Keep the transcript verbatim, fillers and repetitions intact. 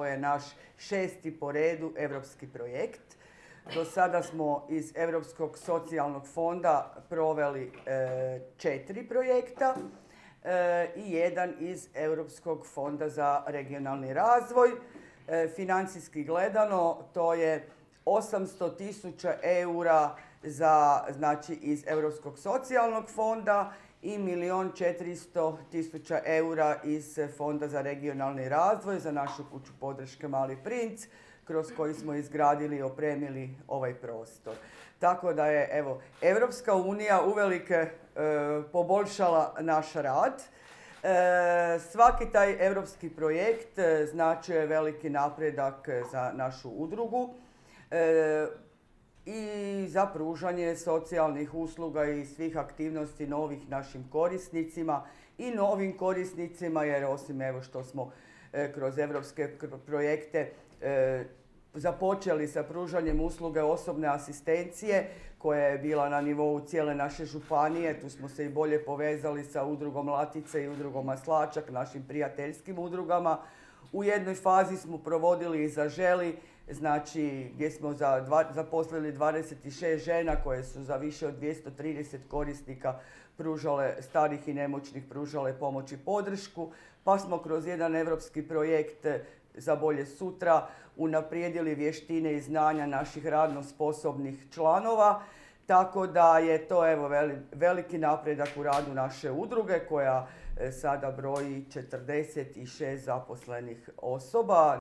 je naš šesti po redu europski projekt. Do sada smo iz Europskog socijalnog fonda proveli e, četiri projekta e, i jedan iz Europskog fonda za regionalni razvoj. E, financijski gledano to je osamsto tisuća eura za, znači, iz Europskog socijalnog fonda i milijun četiristo tisuća eura iz Fonda za regionalni razvoj za našu kuću podrške Mali princ, kroz koji smo izgradili i opremili ovaj prostor. Tako da je, evo, Europska unija uvelike e, poboljšala naš rad. E, svaki taj europski projekt e, značio je veliki napredak za našu udrugu e, i za pružanje socijalnih usluga i svih aktivnosti novih našim korisnicima i novim korisnicima, jer osim evo što smo e, kroz europske projekte e, započeli sa pružanjem usluge osobne asistencije koja je bila na nivou cijele naše županije. Tu smo se i bolje povezali sa udrugom Latice i udrugom Maslačak, našim prijateljskim udrugama. U jednoj fazi smo provodili i Zaželi, znači gdje smo za dva, zaposlili dvadeset šest žena koje su za više od dvjesto trideset korisnika pružale, starih i nemoćnih, pružale pomoć i podršku. Pa smo kroz jedan europski projekt za bolje sutra unaprijedili vještine i znanja naših radno sposobnih članova. Tako da je to, evo, veliki napredak u radu naše udruge koja sada broji četrdeset šest zaposlenih osoba.